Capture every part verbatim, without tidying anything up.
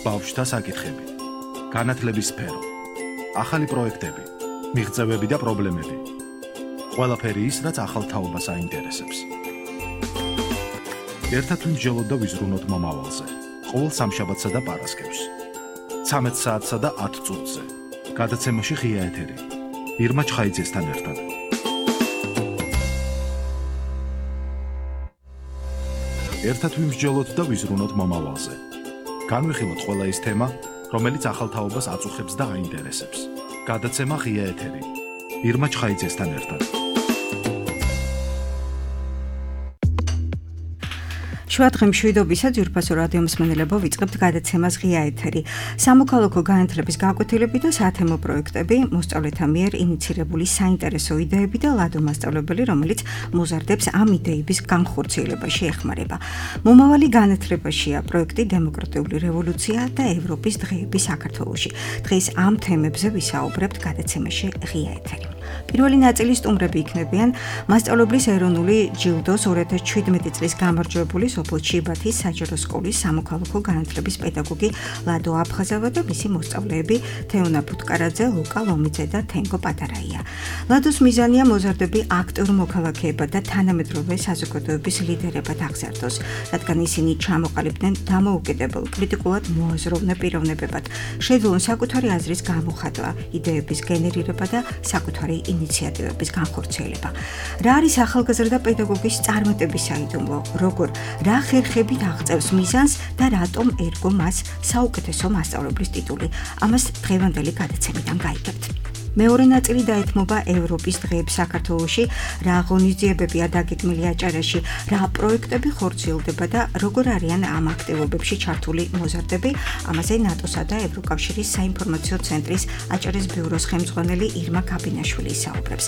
ბავშვთა საკითხები, განათლების სფერო, ახალი პროექტები, მიღწევები და პრობლემები. ყველაფერი ის, რაც ახალ თაობას აინტერესებს. ერთად ვიმსჯელოთ და ვიზრუნოთ მომავალზე. ყოველ სამშაბათსა და პარასკევს. ცამეტ საათსა და ათ წუთზე. გადაცემაში ღია ეთერი. ირმა ჩხაიძესთან ერთად. ერთად ვიმსჯელოთ და ვიზრუნოთ მომავალზე. განვიხილოთ ყველა ის თემა, რომელიც ახალ თაობას აწუხებს და აინტერესებს. გადაცემა ღია ეთერი. ირმა ჩხაიძესთან ერთად. შუადღე მშვიდობისა ძვირფასო რადიო მსმენელებო, ვიწყებთ გადაცემას ღია ეთერი. სამოქალაქო განათლების გაკვეთილები და სათემო პროექტები, მოსწავლეთა მიერ ინიცირებული საინტერესო იდეები და ლადო მასწავლებელი, რომელიც მოზარდებს ამ იდეების განხორციელებაში ეხმარება. მომავალი განათლებაშია პროექტი დემოკრატიული რევოლუცია და ევროპის დღეები საქართველოში. დღეს ამ თემებზე ვისაუბრებთ გადაცემაში ღია ეთერი. პირველი ნაწილის სტუმრები იქნებიან მასწავლებლის ეროვნული ჯილდოს ორი ათას შვიდმეტი წლის გამარჯვებული სოფელ ჩიბათის საჯარო სკოლის სამოქალაქო განათლების პედაგოგი ლადო აფხაზავა და მისი მოსწავლეები თეონა ფუტკარაძე, ლუკა ლომიძე და თენგო პატარაია. ლადოს მიზანია მოზარდები აქტიურ მოქალაქეებად და თანამედროვე საზოგადოების ლიდერებად აღზარდოს, რადგან ისინი ჩამოყალიბდნენ დამოუკიდებელ, კრიტიკულად მოაზროვნე პიროვნებებად, შეძლონ საკუთარი აზრის გამოხატვა, იდეების გენერირება და საკუთარი ინიციატივების განხორციელება. რა არის ახალგაზრდა პედაგოგის წარმატების საიდუმლო, როგორ რა ხერხებით აღწევს მიზანს და რატომ ერგო მას საუკეთესო მასწავლებლის ტიტული. ამას დღევანდელი გადაცემიდან გაიგებთ. მეორე ნაწილი დაეთმობა ევროპის დღეებს საქართველოში, რა ღონისძიებებია დაგეგმილი აჭარაში, რა პროექტები ხორციელდება და როგორ არიან ამ აქტივობებში ჩართული მოზარდები. ამაზე ნატოსა და ევროკავშირის საინფორმაციო ცენტრის აჭარის ბიუროს ხელმძღვანელი ირმა გაბინაშვილი ისაუბრებს.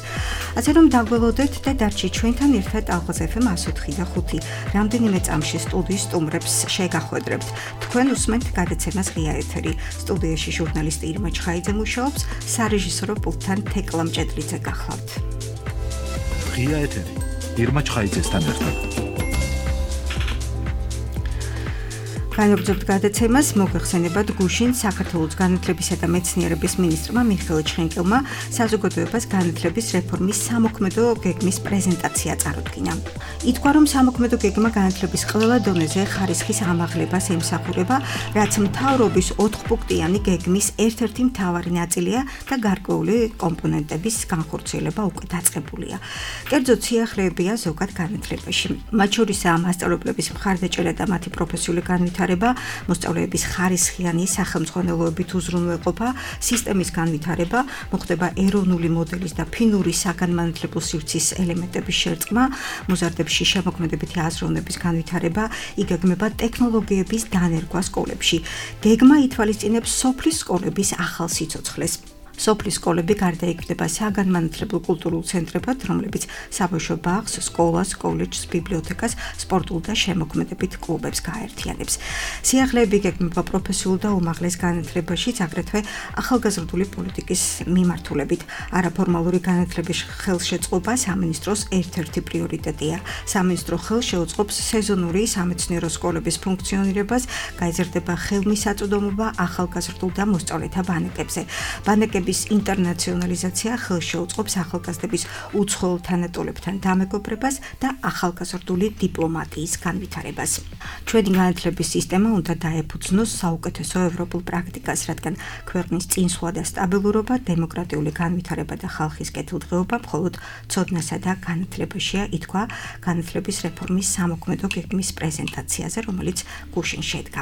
ასე რომ დაგველოდეთ და დარჩით ჩვენთან ერთად ალღაზ ეფ ემ εκατო ოთხი და ხუთი. რამდენიმე წამში სტუდიის სტუმრებს შეგახვედრებთ. თქვენ უსმენთ გადაცემას ღია ეთერი. სტუდიაში ჟურნალისტი ირმა ჩხაიძე მუშაობს, სარეჟისორო პულტთან თეკლა მჭედლიძე გახლავთ. ღია ეთერი. ირმა ჩხაიძესთან ერთად. განაგრძობთ გადაცემას, მოგეხსენებათ გუშინ საქართველოს განათლებისა და მეცნიერების მინისტრმა მიხეილ ჩხენკელმა საზოგადოებას განათლების რეფორმის სამოქმედო გეგმის პრეზენტაცია წარუდგინა. ითქვა, რომ სამოქმედო გეგმა განათლების ყველა დონეზე ხარისხის ამაღლებას ემსახურება, რაც მთავრობის ოთხპუნქტიანი გეგმის ერთ-ერთი მთავარი ნაწილია და გარკვეული კომპონენტების განხორციელება უკვე დაწყებულია. კერძოდ სიახლეებია ზოგად განათლებაში. მათ შორისაა მასწავლებლების მხარდაჭერა და მათი პროფესიული განვითარება, მოსწავლეების ხარისხიანი სახელმძღვანელოებით უზრუნველყოფა, სისტემის განვითარება, მოხდება ეროვნული მოდელის და ფინური საგანმანათლებლო სივრცის ელემენტების შერწყმა, მოზარდებში შემოქმედებითი აზროვნების განვითარება, იგეგმება ტექნოლოგიების დანერგვა სკოლებში. გეგმა ითვალისწინებს სოფლის სკოლების ახალ სიცოცხლეს. სოფლის სკოლები გარდაიქმნება საგანმანათლებლო კულტურულ ცენტრებად, რომლებიც საბავშვო ბაღს, სკოლას, კოლეჯს, ბიბლიოთეკას, სპორტულ და შემოქმედებით კლუბებს გააერთიანებს. სიახლეები იგეგმება პროფესიულ და უმაღლეს განათლებაშიც, აგრეთვე ახალგაზრდული პოლიტიკის მიმართულებით. არაფორმალური განათლების ხელშეწყობა სამინისტროს ერთ-ერთი პრიორიტეტია. სამინისტრო ხელს შეუწყობს სეზონური სამეცნიერო სკოლების ფუნქციონირებას, გაიზრდება ხელმისაწვდომობა ახალგაზრდულ და მოსწავლეთა ბანაკებზე. ბანაკები ინტერნაციონალიზაცია ხელს შეუწყობს ახალგაზრდების უცხოელ თანატოლებთან დამეგობრებას და ახალგაზრდული დიპლომატიის განვითარებას. ჩვენი განათლების სისტემა უნდა დაეფუძნოს საუკეთესო ევროპულ პრაქტიკას, რადგან ქვეყნის წინსვლა და სტაბილურობა, დემოკრატიული განვითარება და ხალხის კეთილდღეობა მხოლოდ ცოდნასა და განათლებაშია, ითქვა განათლების რეფორმის სამოქმედო გეგმის პრეზენტაციაზე, რომელიც გუშინ შედგა.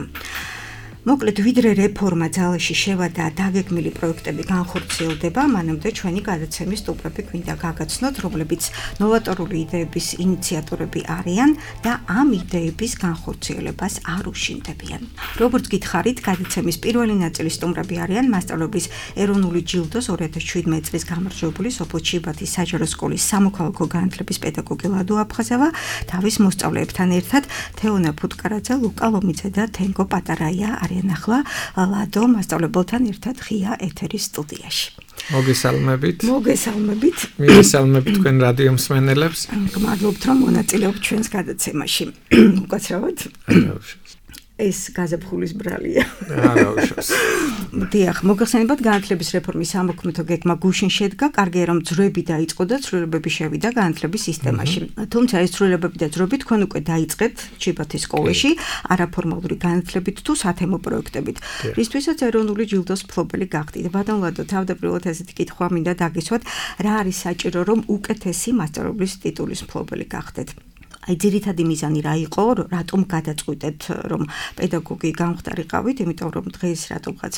მოკლედ, ვიდრე რეფორმა ძალაში შევა და დაგეგმილი პროექტები განხორციელდება, მანამდე ჩვენი გადაცემის სტუმრები გვინდა გაგაცნოთ, რომლებიც ნოვატორული იდეების ინიციატორები არიან და ამ იდეების განხორციელებას არ უშინდებიან. როგორც გითხარით, გადაცემის პირველი ნაწილის სტუმრები არიან მასწავლებლების ეროვნული ჯილდოს ორი ათას შვიდმეტი წლის გამარჯვებული სოფელ ჩიბათის საჯარო სკოლის სამოქალაქო განათლების პედაგოგი ლადო აფხაზავა, თავის მოსწავლეებთან ერთად თეონა ფუტკარაძე, ლუკა ლომიძე და თენგო პატარაია ახლა ლადო მასწავლებელთან ერთად ღია ეთერის სტუდიაში. მოგესალმებით. მოგესალმებით. მოგესალმებით თქვენ რადიო მსმენელებს. გმადლობთ, რომ მონაწილეობთ ჩვენს გადაცემაში. უკაცრავად. ეს გაზაფხულის ბრალია. არა უშავს. დიახ, მოგხსენებათ განათლების რეფორმის სამოქმედო გეგმა გუშინ შედგა, კარგია რომ ძროები დაიწყო და ცვლილებები შევიდა განათლების სისტემაში. თუმცა ეს ცვლილებები და ძროები თქვენ უკვე დაიწყეთ ჩიბათის სკოლაში, არაფორმალური განათლებით თუ სათემო პროექტებით. რისთვისაც ეროვნული ჯილდოს მფლობელი გახდით. ბატონ ლადო, თავდაპირველად ესეთი კითხვა მინდა დაგისვათ, რა არის საჭირო რომ უკეთესი მასწავლებლის ტიტულის მფლობელი გახდეთ? აი ძირითადი მიზანი რა იყო, რატომ გადაწყვიტეთ რომ პედაგოგი გამხდარიყავით, იმიტომ რომ დღეს რატომღაც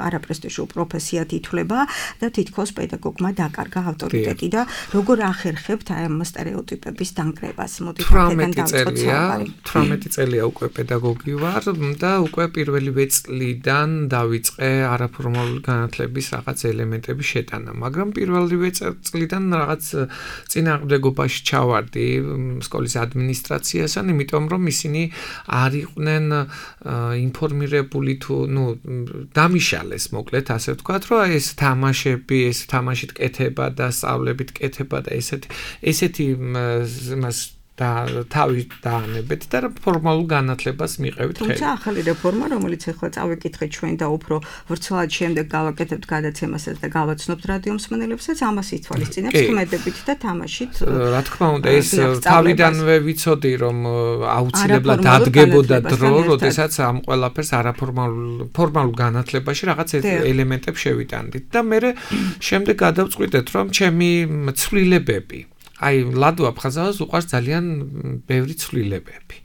არაპრესტიჟულ პროფესიად ითვლება და თითქოს პედაგოგმა დაკარგა ავტორიტეტი და როგორ ახერხებთ აი ამ სტერეოტიპების დანგრევას? მოდით აქედან დავიწყოთ საუბარი. თვრამეტი წელია უკვე პედაგოგი ვარ და უკვე პირველივე წლიდან დავიწყე არაფორმალური განათლების რაღაც ელემენტების შეტანა, მაგრამ პირველივე წლიდან რაღაც წინააღმდეგობაში ჩავარდი სკოლის ადმინისტრაციასთან, იმიტომ რომ ისინი არ იყვნენ ინფორმირებული თუ ნუ დამიშალეს მოკლედ ასე ვთქვათ, რომ ეს თამაშები, ეს თამაშით კეთება და სწავლებით კეთება და ესეთი ესეთი იმას და თავი დაანებეთ და ფორმალურ განათლებას მიყევით ხელი. თუმცა ახალი რეფორმა, რომელიც ახლა წავიკითხეთ ჩვენ და უფრო ვრცლად შემდეგ გავაკეთებთ გადაცემასაც და გავაცნობთ რადიო მსმენელებსაც, ამას ითვალისწინებს ქმედებით და თამაშით. რა თქმა უნდა, ეს თავიდანვე ვიცოდი, რომ აუცილებლად დადგებოდა დრო, როდესაც ამ ყველაფერს არაფორმალურ ფორმალურ განათლებაში რაღაც ელემენტებს შევიტანდით და მე შემდეგ გადავწყვიტეთ, რომ ჩემი ცვლილებები აი ლადო აფხაზავას უყვარს ძალიან ბევრი ცვლილებები.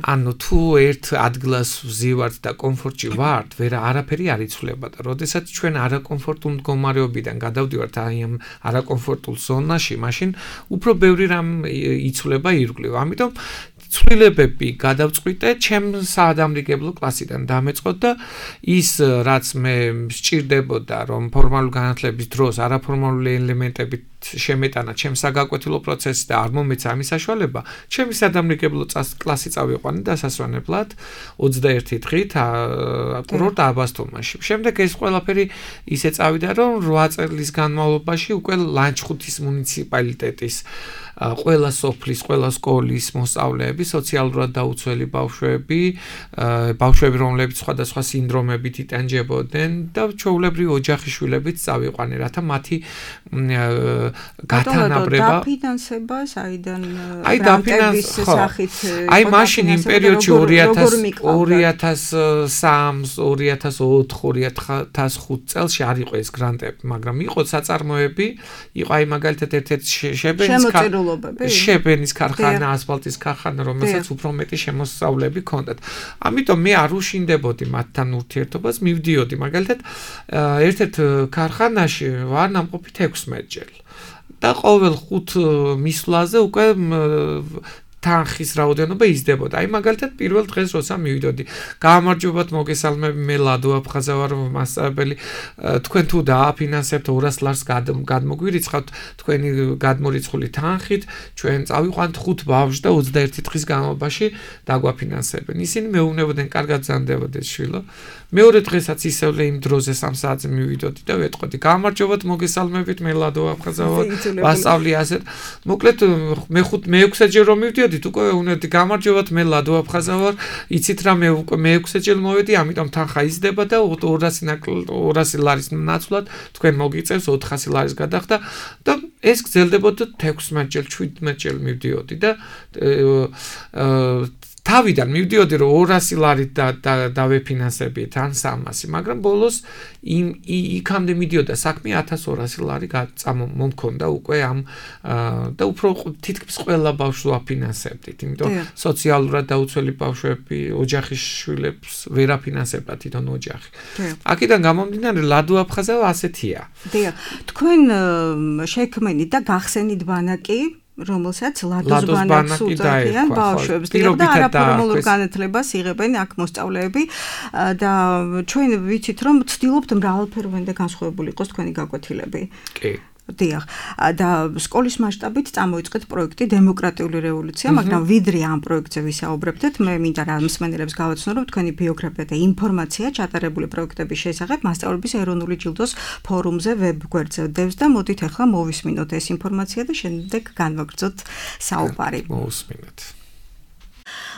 ანუ თუ ერთ ადგილას ვზივართ და კომფორტში ვართ, ვერა არაფერი არ იცვლება და როდესაც ჩვენ არაკომფორტულ მდგომარეობიდან გადავდივართ აი ამ არაკომფორტულ ზონაში, მაშინ უფრო ბევრი რამ იცვლება ირგვლივ. ამიტომ ცვლილებები გადავწყვიტე, ჩემ საადამრიგებლო კლასიდან დამეწყოთ და ის რაც მე სჭირდებოდა რომ ფორმალურ განათლების დროს არაფორმალური ელემენტებით შემეტანა ჩემ საგაკვეთილო პროცესში და არ მომეცა ამის საშუალება, ჩემი საადამრიგებლო კლასი წავიყვანე დასასვენებლად ოცდაერთი დღით კურორტ აბასთუმანში. შემდეგ ეს ყველაფერი ისე წავიდა, რომ რვა წლის განმავლობაში უკვე ლანჩხუთის მუნიციპალიტეტის ყველა სოფლის, ყველა სკოლის მოსწავლეები, სოციალურად დაუცველი ბავშვები, ბავშვები, რომლებიც სხვადასხვა სინდრომებით იტანჯებოდნენ და ჩვეულებრივი ოჯახის შვილებიც წავიყვანე, რათა მათი გათანაბრება დაფინანსება საიდან აი დაფინანს სახით აი მაშინ იმ პერიოდში ორი ათას სამი, ორი ათას ოთხ, ორი ათას ხუთ წელს არ იყო ეს გრანტები, მაგრამ იყო საწარმოები, იყო აი მაგალითად ერთ-ერთი შებენის შებენის ქარხანა, ასფალტის ქარხანა, რომელსაც უფრო მეტი შემოსავლები ჰქონდათ. ამიტომ მე არ უშინდებოდი მათთან ურთიერთობას, მივდიოდი მაგალითად ერთ-ერთ ქარხანაში ვარ ნამყოფი ექვსმეტჯერ. და ყოველ ხუთ მისვლაზე უკვე თანხის რაოდენობა იზრდებოდა. აი მაგალითად პირველ დღეს როცა მივიდოდი, გამარჯობათ მოგესალმები, მე ლადო აფხაზა ვარ, მასწავლებელი, თქვენ თუ დააფინანსებთ ორას ლარს გადმოგვირიცხავთ თქვენი გადმორიცხული თანხით, ჩვენ წავიყვანთ ხუთ ბავშვს და ოცდაერთი დღის განმავლობაში დაგვაფინანსებენ. ისინი მეუბნებოდნენ, კარგად ზანდებოდეს შვილო. მეორე დღესაც ისევ იმ დროზე სამ საათზე მივიდოდი და ვეტყოდი, გამარჯობათ მოგესალმებით, მე ლადო აფხაზა ვარ, მასწავლი ასეთ. მოკლედ მე ხუთ მე ექვსჯერ რომ მივდიოდი, უკვე უნდათ გამარჯობათ, მე ლადო აფხაზა ვარ, იცით რა მე უკვე მე ექვსჯერ მოვედი, ამიტომ თანხა იზრდება და ორასი ლარის ნაცვლად თქვენ მოგიწევს ოთხასი ლარის გადახდა და ეს გრძელდებოდა ექვსმეტჯერ, შვიდმეტჯერ მივდიოდი და თავიდან მივდიოდი რომ ორასი ლარით და დავეფინანსებიეთ ან სამასი, მაგრამ ბოლოს იმ იქამდე მიდიოდა საქმე ათას ორასი ლარი მომქონდა უკვე ამ და უფრო თითქმის ყველა ბავშვს ვაფინანსებდით, იმიტომ სოციალურად დაუცველი ბავშვები, ოჯახის შვილებს ვერ აფინანსებდა თვითონ ოჯახი. აქედან გამომდინარე ლადო აფხაზავა ასეთია. დიახ, თქვენ შექმნით და გახსენით ბანაკი, რომელსაც ლადოს ბანაკს უწოდებენ ბავშვებს და არაფორმალურ განათლებას იღებენ აქ მოსწავლეები და ჩვენ ვიცით რომ ვცდილობთ მრავალფეროვანი და განსხვავებული იყოს თქვენი გაკვეთილები. კი. დიახ, და სკოლის მასშტაბით წამოიწყეთ პროექტი დემოკრატიული რევოლუცია, მაგრამ ვიდრე ამ პროექტზე ვისაუბრებდეთ, მე მინდა რა მსმენელებს გავაცნო, რომ თქვენი ბიოგრაფია და ინფორმაცია ჩატარებული პროექტების შესახებ მასწავლების ეროვნული ჯილდოს ფორუმზე ვებგვერდზე დევს და მოდით ახლა მოვისმინოთ ეს ინფორმაცია და შემდეგ განვაგრძოთ საუბარი. მოვისმინეთ.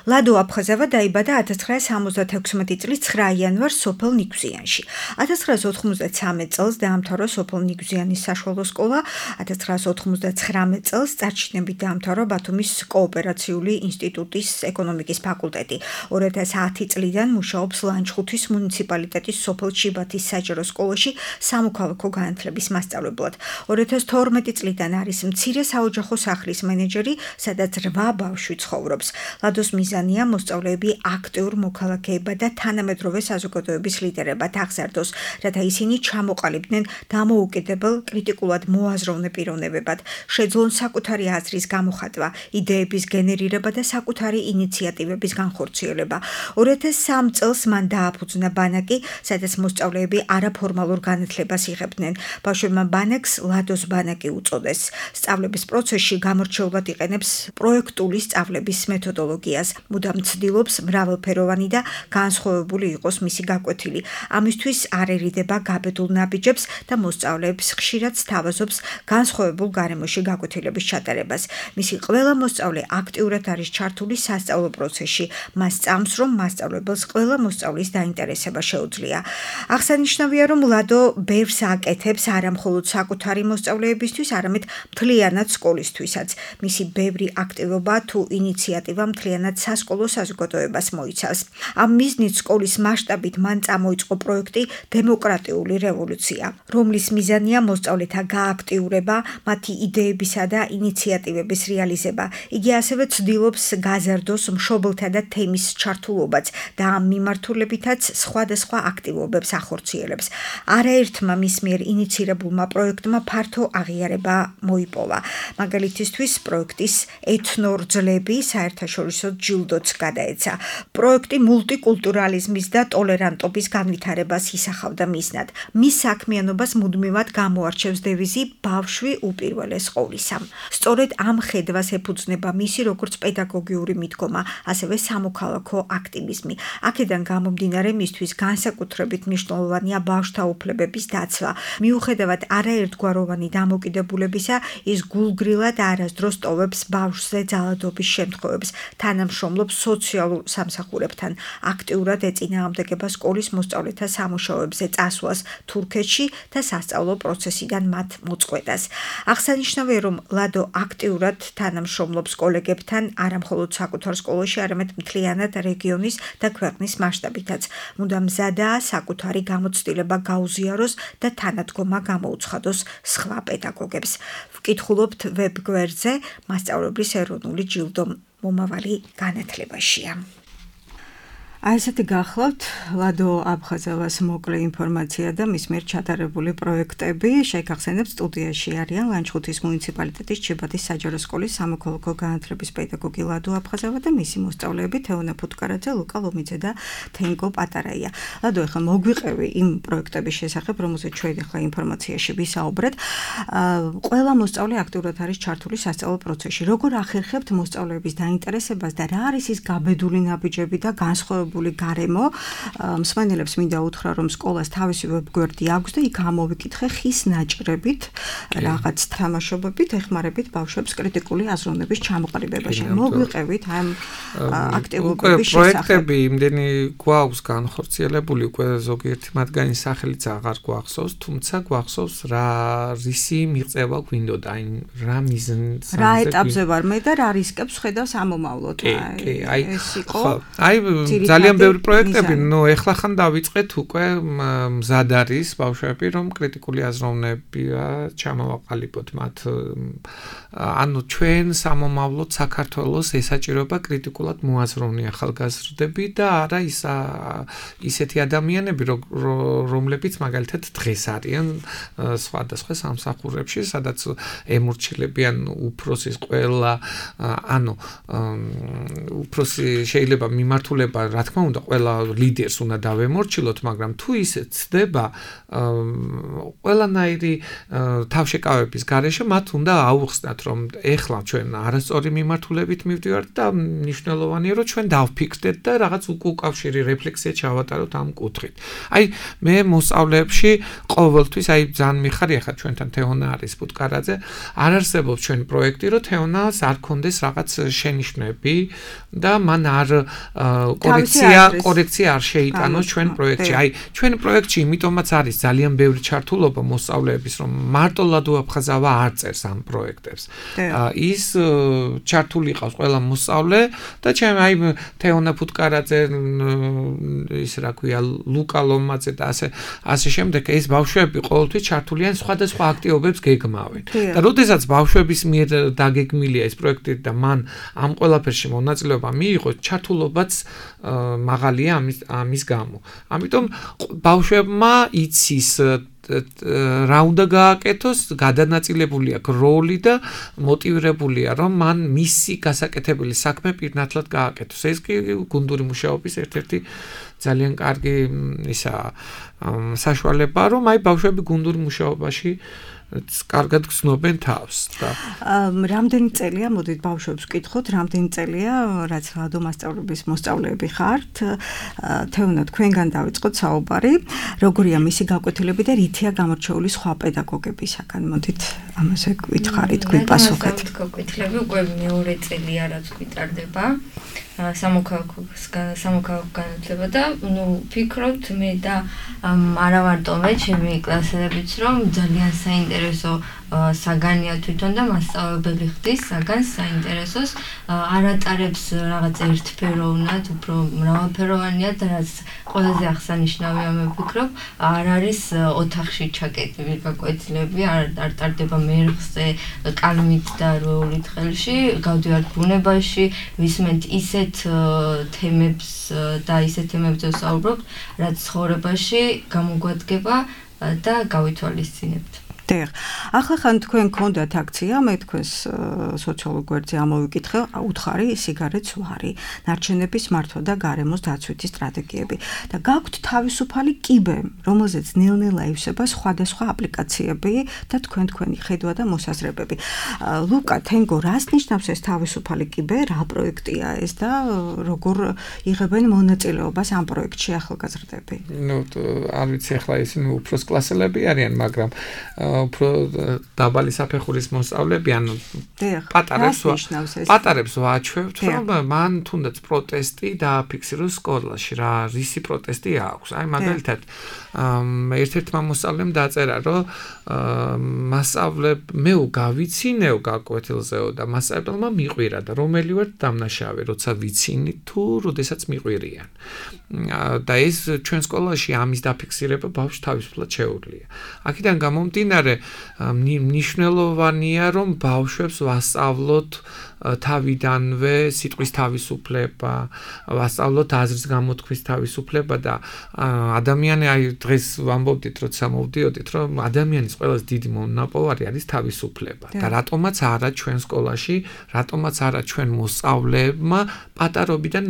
ლადო აფხაზავა დაიბადა ათას ცხრაასი სამოცდათექვსმეტი წლის ცხრა იანვარს სოფელ ნიგვზიანში. ათას ცხრაასი ოთხმოცდათრამეტ წელს დაამთავრა სოფელ ნიგვზიანის საშუალო სკოლა, ათას ცხრაასი ოთხმოცდათხრამეტ წელს წარჩინებით დაამთავრა ბათუმის კოოპერაციული ინსტიტუტის ეკონომიკის ფაკულტეტი. ორი ათას ათი წლიდან მუშაობს ლანჩხუთის მუნიციპალიტეტის სოფელ ჩიბათის საჯარო სკოლაში სამოქალაქო განათლების მასწავლებლად. ორი ათას თორმეტი წლიდან არის მცირე საოჯახო სახლის მენეჯერი, სადაც რვა ბავშვი ცხოვრობს. ლადოს მიზანია მოსწავლეები აქტიურ მოქალაქეებად და თანამედროვე საზოგადოების ლიდერებად აღზარდოს, რათა ისინი ჩამოყალიბდნენ დამოუკიდებელ, კრიტიკულად მოაზროვნე პიროვნებებად, შეძლონ საკუთარი აზრის გამოხატვა, იდეების გენერირება და საკუთარი ინიციატივების განხორციელება. ორი ათას სამი წელს მან დააფუძნა ბანაკი, სადაც მოსწავლეები არაფორმალურ განათლებას იღებდნენ. ბავშვებმა ბანაკს ლადოს ბანაკი უწოდეს. სწავლების პროცესში გამორჩეულად იყენებს პროექტული სწავლების მეთოდოლოგიას, მუდამ ცდილობს მრავალფეროვანი და განსხვავებული იყოს მისი გაკვეთილი. ამისთვის არ ერიდება გაბედულ ნაბიჯებს და მოსწავლეებს ხშირად სთავაზობს განსხვავებულ გარემოში გაკვეთილების ჩატარებას. მისი ყველა მოსწავლე აქტიურად არის ჩართული სასწავლო პროცესში. მას წამს, რომ მასწავლებელს ყველა მოსწავლის დაინტერესება შეუძლია. აღსანიშნავია, რომ ლადო ბევრს აკეთებს არა მხოლოდ საკუთარი მოსწავლეებისთვის, არამედ მთლიანად სკოლისთვისაც. მისი ბევრი აქტივობა თუ ინიციატივა მთლიანად სასკოლო საზოგადოებას მოიცავს. ამ მიზნით სკოლის მასშტაბით მან წამოიწყო პროექტი დემოკრატიული რევოლუცია, რომლის მიზანია მოსწავლეთა გააქტიურება, მათი იდეებისა და ინიციატივების რეალიზება. იგი ასევე ცდილობს გაზარდოს მშობელთა და თემის ჩართულობაც და ამ მიმართულებითაც სხვადასხვა აქტივობებს ახორციელებს. არაერთმა მის მიერ ინიცირებულმა პროექტმა ფართო აღიარება მოიპოვა. მაგალითისთვის პროექტის ეთნორძლები საერთაშორისო ჯილდოც გადაეცა. პროექტი მულტიკულტურალიზმის და ტოლერანტობის განვითარებას ისახავდა მიზნად. მის საქმიანობას მუდმივად გამოარჩევს დევიზი ბავშვი უპირველეს ყოვლისა. სწორედ ამ ხედვას ეფუძნება მისი როგორც პედაგოგიური მიდგომა, ასევე სამოქალაქო აქტივიზმი. აქედან გამომდინარე მისთვის განსაკუთრებით მნიშვნელოვანია ბავშვთა უფლებების დაცვა. მიუხედავად არაერთგვაროვანი დამოკიდებულებისა, ის გულგრილად არასდროს ტოვებს ბავშვზე ძალადობის შემთხვევებს, თანამშრომლობს სოციალურ სამსახურებთან, აქტიურად ეწინააღმდეგება სკოლის მოსწავლეთა სამუშაოებზე წასვლას თურქეთში და სასწავლო პროცესიდან მათ მოწყვეტას. აღსანიშნავია, რომ ლადო აქტიურად თანამშრომლობს კოლეგებთან არა მხოლოდ საკუთარ სკოლაში, არამედ მთლიანად რეგიონის და ქვეყნის მასშტაბითაც. მუდამ მზადაა საკუთარი გამოცდილება გაუზიაროს და თანადგომა გამოუცხადოს სხვა პედაგოგებს. ვკითხულობთ ვებგვერდზე მასწავლებლის ეროვნული ჯილდო მომავალი განათლებაშია. აი ესეთი გახლავთ ლადო აფხაზავას მოკლე ინფორმაცია და მის მიერ ჩატარებული პროექტები. შეგახსენებ, სტუდიაში არიან ლანჩხუთის მუნიციპალიტეტის ჩიბათის საჯარო სკოლის სამოქალაქო განათლების პედაგოგი ლადო აფხაზავა და მისი მოსწავლეები თეონა ფუტკარაძე, ლუკა ლომიძე და თენგო პატარაია. ლადო, ახლა მოგვიყევი იმ პროექტების შესახებ, რომელზეც ჩვენ ახლა ინფორმაციაში ვისაუბრეთ. ყველა მოსწავლე აქტიურად არის ჩართული სასწავლო პროცესში. როგორ ახერხებთ მოსწავლეების დაინტერესებას და რა არის ის გაბედული ნაბიჯები და განსხვავებული გარემო? მსმენელებს მინდა უთხრა, რომ სკოლას თავისი ვებგვერდი აქვს და იქ ამოვიკითხე ხის ნაჭრებით, რაღაც თამაშობებით, ეხმარებით ბავშვებს კრიტიკული აზროვნების ჩამოყალიბებაში. მოგვიყევით ამ აქტივობების შესახებ. პროექტები იმდენი გვაქვს განხორციელებული, უკვე ზოგიერთი მათგანის სახელიც აღარ გვახსოვს, თუმცა გვახსოვს რა რისი მიღწევა გვინდოდა, აი რა მიზნს რა ეტაპზე ვარ მე და რა რისკებს ხედავს ამომავლოდ. აი ეს იყო აი ძალიან ბევრი პროექტები, ნუ ეხლა ხან დავიწყეთ უკვე მზად არის ბავშვები, რომ კრიტიკული აზროვნები ჩამოვაყალიბოთ მათ. ანუ ჩვენ სამომავლოდ საქართველოს ესაჭიროება კრიტიკულად მოაზროვნე ახალგაზრდები და არა ის ისეთი ადამიანები, რომლებიც მაგალითად დღეს არიან სხვადასხვა სამსახურებში, სადაც ემორჩილებიან უფროსის ყველა, ანუ უფროსი შეიძლება მიმართულება რა თქმა უნდა, ყველა ლიდერს უნდა დავემორჩილოთ, მაგრამ თუ ისე ცდება, ყველანაირი თავშეკავების გარეშე მათ უნდა აუხსნათ, რომ ეხლა ჩვენ არასწორი მიმართულებით მივდივართ და მნიშვნელოვანია, რომ ჩვენ დავფიქრდეთ და რაღაც უკავშირი რეფლექსია ჩავატაროთ ამ კუთხით. აი, მე მოსწავლეებში ყოველთვის აი ძალიან მიხარია ხა ჩვენთან თეონა არის ბუტკარაძე, არ არსებობს ჩვენი პროექტი, რომ თეონას არ ქონდეს რაღაც შენიშვნები და მან არ კორექცია კორექცია არ შეიტანოს ჩვენ პროექტში. აი, ჩვენ პროექტში იმიტომაც არის ძალიან ბევრი ჩართულობა მოსწავლეების, რომ მარტო ლადო აფხაზავა არ წერს ამ პროექტებს. ის ჩართული ყავს ყველა მოსწავლე და ჩემ აი თეონა ბუტკარაძე ის რა ქვია ლუკა ლომაძე და ასე ასე შემდეგ ეს ბავშვები ყოველთვის ჩართულიან სხვადასხვა აქტივობებს გეგმავენ. და როდესაც ბავშვების მიერ დაგეგმილია ეს პროექტი და მან ამ ყველაფერში მონაწილეობა მიიღო, ჩართულობაც მაღალია ამის ამის გამო. ამიტომ ბავშვებმა იცის რა უნდა გააკეთოს, გადანაწილებული აქვს როლი და მოტივირებულია, რომ მან მისი გასაკეთებელი საქმე პირნათლად გააკეთოს. ეს კი გუნდური მუშაობის ერთ-ერთი ძალიან კარგი ისა საშუალებაა, რომ აი ბავშვები გუნდური მუშაობაში კარგად გრძნობენ თავს და რამდენი წელია, მოდით ბავშვებს ვკითხოთ, რამდენი წელია, რაც ლადო მასწავლებლების მოსწავლეები ხართ, თეონა თქვენგან დავიწყოთ საუბარი, როგორია მისი გაკვეთილები და რითია გამორჩეული სხვა პედაგოგებისაგან, მოდით ამაზე გითხარით, გვიპასუხეთ. გაკვეთილები უკვე მეორე წელია, რაც გვიტარდება. სამოქალაქო სამოქალაქო განათლება და ნუ ფიქრობთ მე და არა მარტო მე ჩემი კლასელებიც რომ ძალიან საინტერესო საგანია თვითონ და მასწავლებელი ხდის საგანს საინტერესოს არ ატარებს რაღაც ერთფეროვნად, უფრო მრავალფეროვანია და რაც ყველაზე აღსანიშნავია მე ვფიქრობ, არ არის ოთახში ჩაკეტილი გაკვეთილები, არ არ ტარდება მერხზე, კალმით და როულით ხელში, გავდივართ ბუნებაში, ვისმენთ ისეთ თემებს და ისეთ თემებზე ვსაუბრობთ, რაც ცხოვრებაში გამოგვადგება და გავითვალისწინებთ. დიახ. ახლა ხან თქვენ გქონდათ აქცია, მე თქვენს სოციალურ გვერდზე ამოვიკითხე, უთხარი სიგარეტს ვარი, ნარჩენების მართვა და გარემოს დაცვითი სტრატეგიები. და გაქვთ თავისუფალი კიბე, რომელზეც ნელ-ნელა ივსება სხვადასხვა აპლიკაციები და თქვენ თქვენი ხედვა და მოსაზრებები. ლუკა, თენგო, რას ნიშნავს ეს თავისუფალი კიბე, რა პროექტია ეს და როგორ იღებენ მონაწილეობას ამ პროექტში ახალგაზრდები? ნუ არ ვიცი ახლა ისინი უფროს კლასელები არიან, მაგრამ უფრო დაბალი საფეხურის მოსწავლეები, ანუ პატარებს პატარებს ვაჩვევთ, რომ მან თუნდაც პროტესტი დააფიქსიროს სკოლაში, რა რისი პროტესტი აქვს. აი მაგალითად, ერთ-ერთმა მოსწავლემ დაწერა, რომ მასწავლებ მე გავიცინეო გაკვეთილზეო და მასწავლებელმა მიყვირა და რომელი ვარ დამნაშავე, როცა ვიცინი თუ როდესაც მიყვირიან. და ეს ჩვენ სკოლაში ამის დაფიქსირება ბავშვს თავისუფლად შეუძლია. აქედან გამომდინარე მნიშვნელოვანია, რომ ბავშვებს ვასწავლოთ თავიდანვე სიტყვის თავისუფლება, ვასწავლოთ აზრის გამოთქმის თავისუფლება და ადამიანი აი დღეს ვამბობდით, როცა მოვდიოდით, რომ ადამიანის ყველაზე დიდი მონაპოვარი არის თავისუფლება. და რატომაც არა ჩვენ სკოლაში, რატომაც არა ჩვენ მოსწავლეებმა პატარობიდან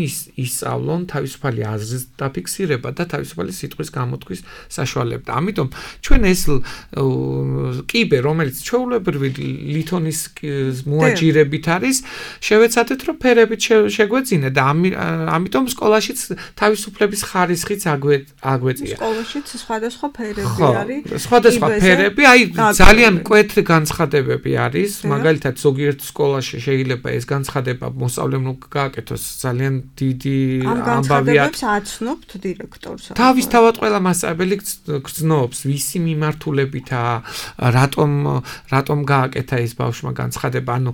ისწავლონ თავისუფალი აზრის დაფიქსირება და თავისუფალი სიტყვის გამოთქმის საშუალება. და ამიტომ ჩვენ ეს კიბე, რომელიც ჩვეულებრივი ლითონის მოაჯირებით არის, შევეცადეთ, რომ ფერებით შეგვეძინა და ამიტომ სკოლაშიც თავისუფლების ხარისხიც აგვეწია. სკოლაშიც სხვადასხვა ფერები არის. სხვადასხვა ფერები, აი ძალიან მკვეთრი განცხადებები არის, მაგალითად ზოგიერთ სკოლაში შეიძლება ეს განცხადება მოსწავლემ გააკეთოს ძალიან დიდი ამბავია. ამ განცხადებებს აცნობთ დირექტორს. თავისთავად ყველა მასწავლებელი გრძნობს, ვისი მიმართულებითაა, რატომ რატომ გააკეთა ეს ბავშვმა განცხადება, ანუ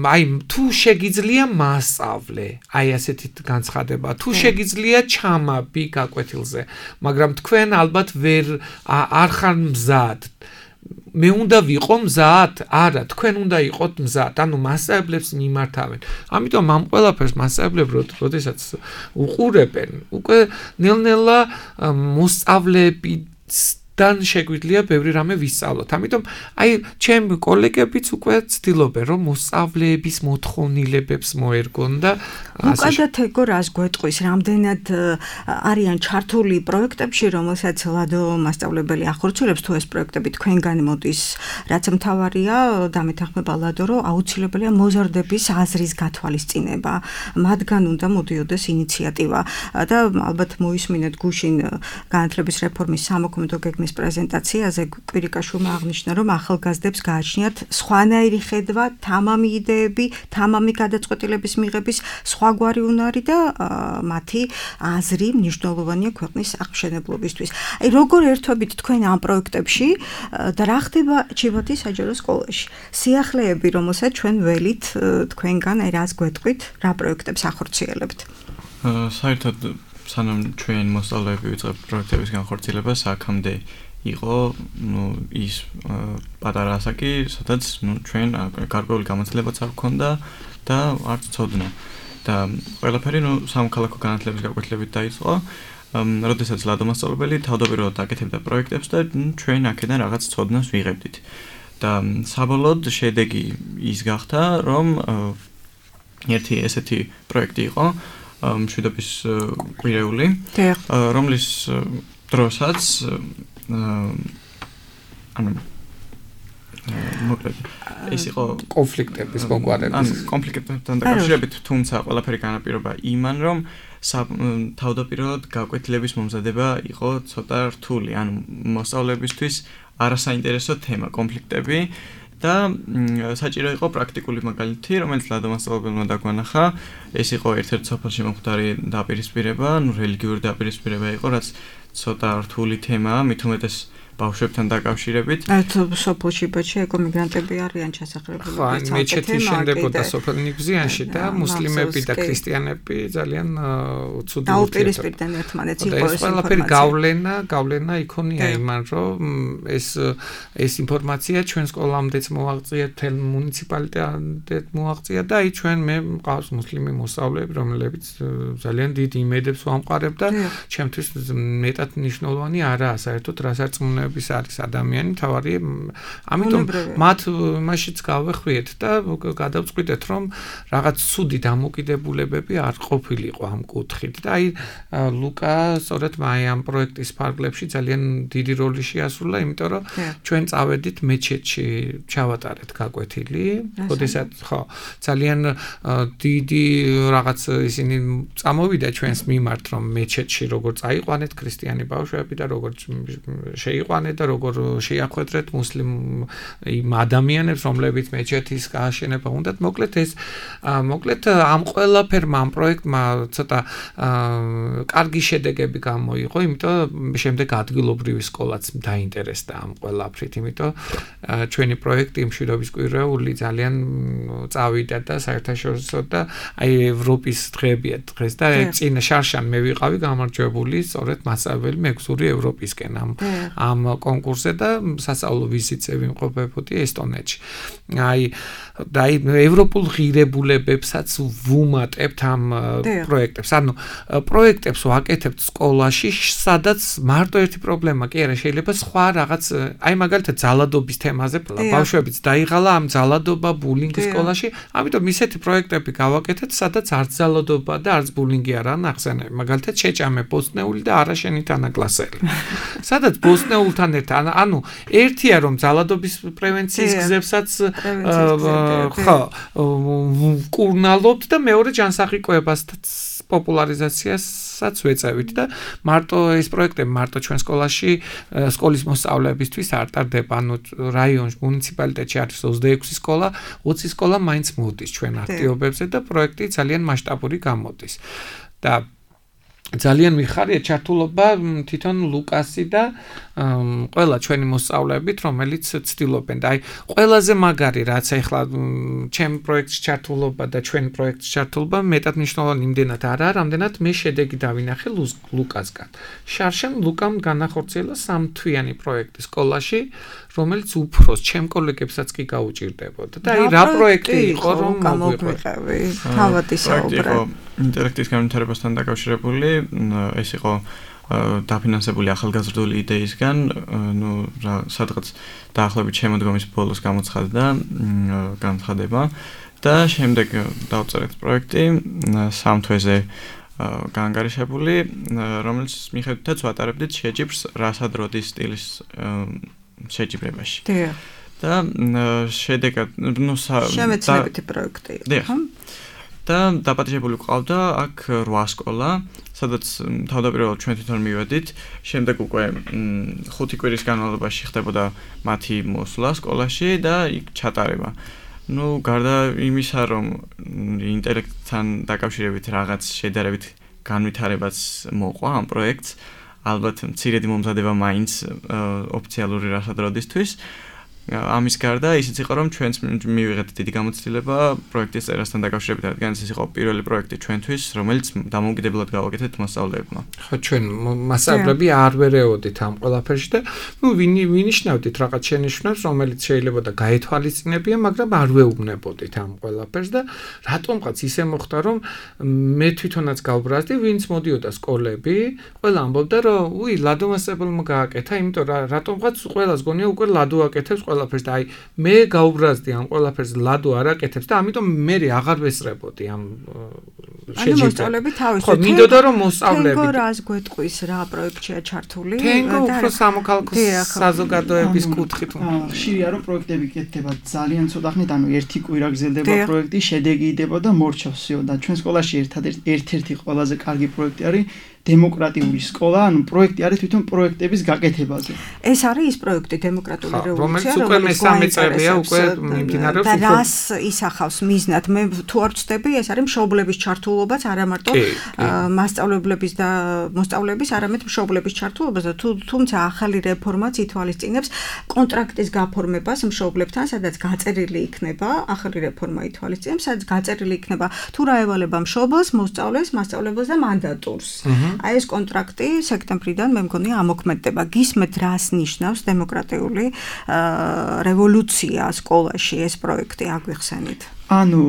აი თუ შეგიძლია მასწავლე, აი ასეთი განცხადება, თუ შეგიძლია ჩამაბი გაკვეთილზე, მაგრამ თქვენ ალბათ ვერ არ ხარ მზად. მე უნდა ვიყო მზად? არა, თქვენ უნდა იყოთ მზად. ანუ მასწავლებლებს მიმართავენ. ამიტომ ამ ყველაფერს მასწავლებლები როდესაც უყურებენ, უკვე ნელ-ნელა მოსწავლეები დან შეგვიძლია ბევრი რამე ვისწავლოთ. ამიტომ აი ჩემ კოლეგებიც უკვე ცდილობენ რომ მოსწავლეების მოთხოვნილებებს მოერგონ და უკადათ ეგო რას გვეტყვის, რამდენად არიან ჩართული პროექტებში, რომელსაც ლადო მასწავლებელი ახორციელებს, თუ ეს პროექტები თქვენგან მოდის, რაც მთავარია, დამეთანხმება ლადო, რომ აუცილებელია მოზარდების აზრის გათვალისწინება, მათგან უნდა მოდიოდეს ინიციატივა და ალბათ მოისმინეთ გუშინ განათლების რეფორმის სამოქმედო გეგმის პრეზენტაციაზე კვირიკაშვილმა აღნიშნა, რომ ახალგაზრდებს გააჩნიათ სხვანაირი ხედვა, თამამი იდეები, თამამი გადაწყვეტილების მიღების სხვაგვარი უნარი და მათი აზრი მნიშვნელოვანია ქვეყნის აღმშენებლობისთვის. აი როგორ ერთვებით თქვენ ამ პროექტებში და რა ხდება ჩიბათის საჯარო სკოლაში? სიახლეები, რომელსაც ჩვენ ველით თქვენგან აი რას გვეტყვით, რა პროექტებს ახორციელებთ? საერთოდ სანამ ჩვენ მოსწავლეები ვიწყებთ პროექტების განხორციელებას, აქამდე იყო ნუ ის პატარა ასაკი, სადაც ნუ ჩვენ გარკვეული გამოცდილებაც არ გქონდა და არც ცოდნა. და ყველაფერი ნუ სამოქალაქო განათლების გაკვეთილებით დაიწყო. როდესაც ლადო მასწავლებელი თავდაპირველად აკეთებდა პროექტებს და ჩვენ აქედან რაღაც ცოდნას ვიღებდით. და საბოლოოდ შედეგი ის გახდა, რომ ერთი ესეთი პროექტი იყო, მშვიდობის კვირეული, რომლის დროსაც ანუ მოკლედ ეს იყო კონფლიქტების მოგვარების კონფლიქტებთან დაკავშირებით, თუმცა ყველაფერი განაპირობა იმან, რომ თავდაპირველად გაკვეთილების მომზადება იყო ცოტა რთული, ანუ მოსწავლეებისთვის არასაინტერესო თემა კონფლიქტები და საჭირო იყო პრაქტიკული მაგალითი, რომელიც ლადო მასწავლებელმა დაგვანახა. ეს იყო ერთ-ერთი სოფელში მომხდარი დაპირისპირება, ნუ რელიგიური დაპირისპირება იყო, რაც ცოტა რთული თემაა, მით უმეტეს ბავშვებთან დაკავშირებით. ერთ სოფელში ბაჩი ეკო მიგრანტები არიან ჩასახლებული. ხო, მეჩეთი შენდებოდა სოფელ ნიგზიანში და მუსლიმები და ქრისტიანები ძალიან ცუდი დაუპირისპირდნენ ერთმანეთს, იყო ეს ყველაფერი გავლენა, გავლენა იქონია იმან, რომ ეს ეს ინფორმაცია ჩვენ სკოლამდეც მოაღწია, თელ მუნიციპალიტეტად მოაღწია და აი ჩვენ მე მყავს მუსლიმი მოსწავლეები, რომლებიც ძალიან დიდ იმედებს ვამყარებ და ჩემთვის მეტად მნიშვნელოვანი არაა საერთოდ რასარწმუნოება არის ადამიანი თავარი, ამიტომ მათ მაშინც გავეხვიეთ და გადავწყვიტეთ, რომ რაღაც ცუდი დამოკიდებულებები არ ყოფილიყო ამ კუთხით და აი ლუკა სწორედ აი ამ პროექტის ფარგლებში ძალიან დიდი როლი შეასრულა, იმიტომ რომ ჩვენ წავედით მეჩეთში ჩავატარეთ გაკვეთილი, როდესაც ხო ძალიან დიდი რაღაც ისინი წამოვიდა ჩვენს მიმართ, რომ მეჩეთში როგორ წაიყვანეთ ქრისტიანი ბავშვები და როგორ შეიყვანეთ და როგორ შეახვედრეთ მუსლიმ იმ ადამიანებს, რომლებიც მეჩეთის გააშენება უნდათ. მოკლედ ეს მოკლედ ამ ყველაფერმა ამ პროექტმა ცოტა კარგი შედეგები გამოიღო, იმიტომ შემდეგ ადგილობრივი სკოლაც დაინტერესდა ამ ყველაფრით, იმიტომ ჩვენი პროექტი მშვიდობის კვირეული ძალიან წავიდა და საერთაშორისო და აი ევროპის დღეებია დღეს და წინა შარშან მე ვიყავი გამარჯვებული სწორედ მასწავლებელი მეგზური ევროპისკენ ამ ამ კონკურსზე და სასწავლო ვიზიტზე ვიმყოფებოდი ესტონეთში. აი და აი ევროპულ ღირებულებებსაც ვუმატებთ ამ პროექტებს. ანუ პროექტებს ვაკეთებთ სკოლაში, სადაც მარტო ერთი პრობლემა კი არა, შეიძლება სხვა რაღაც, აი მაგალითად ძალადობის თემაზე ბავშვებიც დაიღალა ამ ძალადობა ბულინგის სკოლაში, ამიტომ ისეთი პროექტები გავაკეთეთ, სადაც არც ძალადობა და არც ბულინგი არაა ნახსენები. მაგალითად შეჭამე ბოსტნეული და არაშენი თანაკლასელი. სადაც ბოსტნეულთან ერთად, ანუ ერთია რომ ძალადობის პრევენციის გზებსაც ხო ვკურნალობთ და მეორე ჯანსაღი-კვებასაც პოპულარიზაციასაც ვეწევით და მარტო ეს პროექტები მარტო ჩვენ სკოლაში სკოლის მოსწავლეებისთვის არ ტარდება, ანუ რაიონში მუნიციპალიტეტში არის ოცდაექვსი სკოლა, ოცი სკოლა მაინც მოდის ჩვენ აქტივობებზე და პროექტი ძალიან მასშტაბური გამოდის. და ძალიან მიხარია ჩართულობა თვითონ ლუკასი და ყველა ჩვენი მოსწავლეებით, რომელიც ცდილობენ და აი ყველაზე მაგარი რაც ახლა ჩემ პროექტში ჩართულობა და ჩვენ პროექტში ჩართულობა მეტად მნიშვნელოვანი იმდენად არაა, რამდენად მე შედეგი დავინახე ლუკასგან. შარშან ლუკამ განახორციელა სამთვიანი პროექტი სკოლაში, რომელიც უფროს ჩემ კოლეგებსაც კი გაუჭირდებოდა. და აი რა პროექტი იყო რომ მოგვიყევი? თავად ისაუბრე. ინტელექტის განვითარებასთან დაკავშირებული, ეს იყო დაფინანსებული ახალგაზრდული იდეისგან, ну, სადღაც დაახლოებით შემოდგომის ბოლოს გამოცხადდა განცხადება და შემდეგ დავწერეთ პროექტი სამ თვეზე გაანგარიშებული, რომელიც მიხედვითაც ვატარებდით შეჯიბრს რასადროდის სტილის შეჯიბრებაში. და შედეგად, ну, შემეცნებითი პროექტი იყო, ხო? და დაპატიჟებული ყავდა აქ რვა სკოლა, სადაც თავდაპირველად ჩვენ თვითონ მივედით, შემდეგ უკვე ხუთი კვირის განმავლობაში ხდებოდა მათი მოსვლა სკოლაში და იქ ჩატარება. ну, გარდა იმისა, რომ ინტელექტთან დაკავშირებით რაღაც შედარებით განვითარებაც მოყვა ამ პროექტს, ალბათ მცირედი მომზადება მაინც ოფიციალური რასადროდისთვის. ამის გარდა ისიც იყო, რომ ჩვენც მივიღეთ დიდი გამოცდილება პროექტის წერასთან დაკავშირებით, რადგან ეს იყო პირველი პროექტი ჩვენთვის, რომელიც დამოუკიდებლად გავაკეთეთ მასწავლებლებმა. ხო, ჩვენ მასწავლებლები არ ვერეოდით ამ ყველაფერში და ნუ ვინიშნავდით რაღაც შენიშვნებს, რომელიც შეიძლება და გაეთვალისწინებია, მაგრამ არ ვეუბნებოდით ამ ყველაფერს და რატომღაც ისე მოხდა, რომ მე თვითონაც გავბრაზდი, ვინც მოდიოდა სკოლები, ყველა ამბობდა, რომ უი, ლადო მასწავლებელმა გააკეთა, იმიტომ რომ რატომღაც ყველას გონია უკვე ლადო აკეთებს ყველაფერს და აი მე გაუბრაზდი ამ ყველაფერს ლადო არ აკეთებს და ამიტომ მე აღარ ვესწრებოდი ამ შეჯიბრებას. ანუ მოსწავლეები თავისთავად ხო, მინდოდა რომ მოსწავლეები. თენგო რას გვეტყვის რა პროექტია ჩართული? თენგო უფრო სამოქალაქო საზოგადოების კუთხით. ხშირია რომ პროექტები კეთდება ძალიან ცოტა ხნით, ანუ ერთი კვირა გრძელდება პროექტი, შედეგი იდება და მორჩავსიო და ჩვენ სკოლაში ერთადერთი ერთ-ერთი ყველაზე კარგი პროექტი არის დემოკრატიული სკოლა, ანუ პროექტი არის თვითონ პროექტების გაკეთებაზე. ეს არის ის პროექტი დემოკრატიული რევოლუცია, რომელიც უკვე მესამე წელია უკვე მიმდინარეობს და რას ისახავს მიზნად? მე თუ არ ვცდები, ეს არის მშობლების ჩართულობაც, არა მარტო მასწავლებლების და მოსწავლეების, არამედ მშობლების ჩართულობას და თუმცა ახალი რეფორმაც ითვალისწინებს კონტრაქტის გაფორმებას მშობლებთან, სადაც გაწერილი იქნება, ახალი რეფორმა ითვალისწინებს, სადაც გაწერილი იქნება თუ რა ევალება მშობელს, მოსწავლეს, მასწავლებელს და მანდატურს. აი ეს კონტრაქტი სექტემბრიდან მე მგონი ამოქმედდება. გისმენთ რას ნიშნავს დემოკრატიული რევოლუცია სკოლაში ეს პროექტი აგვიხსენით? ანუ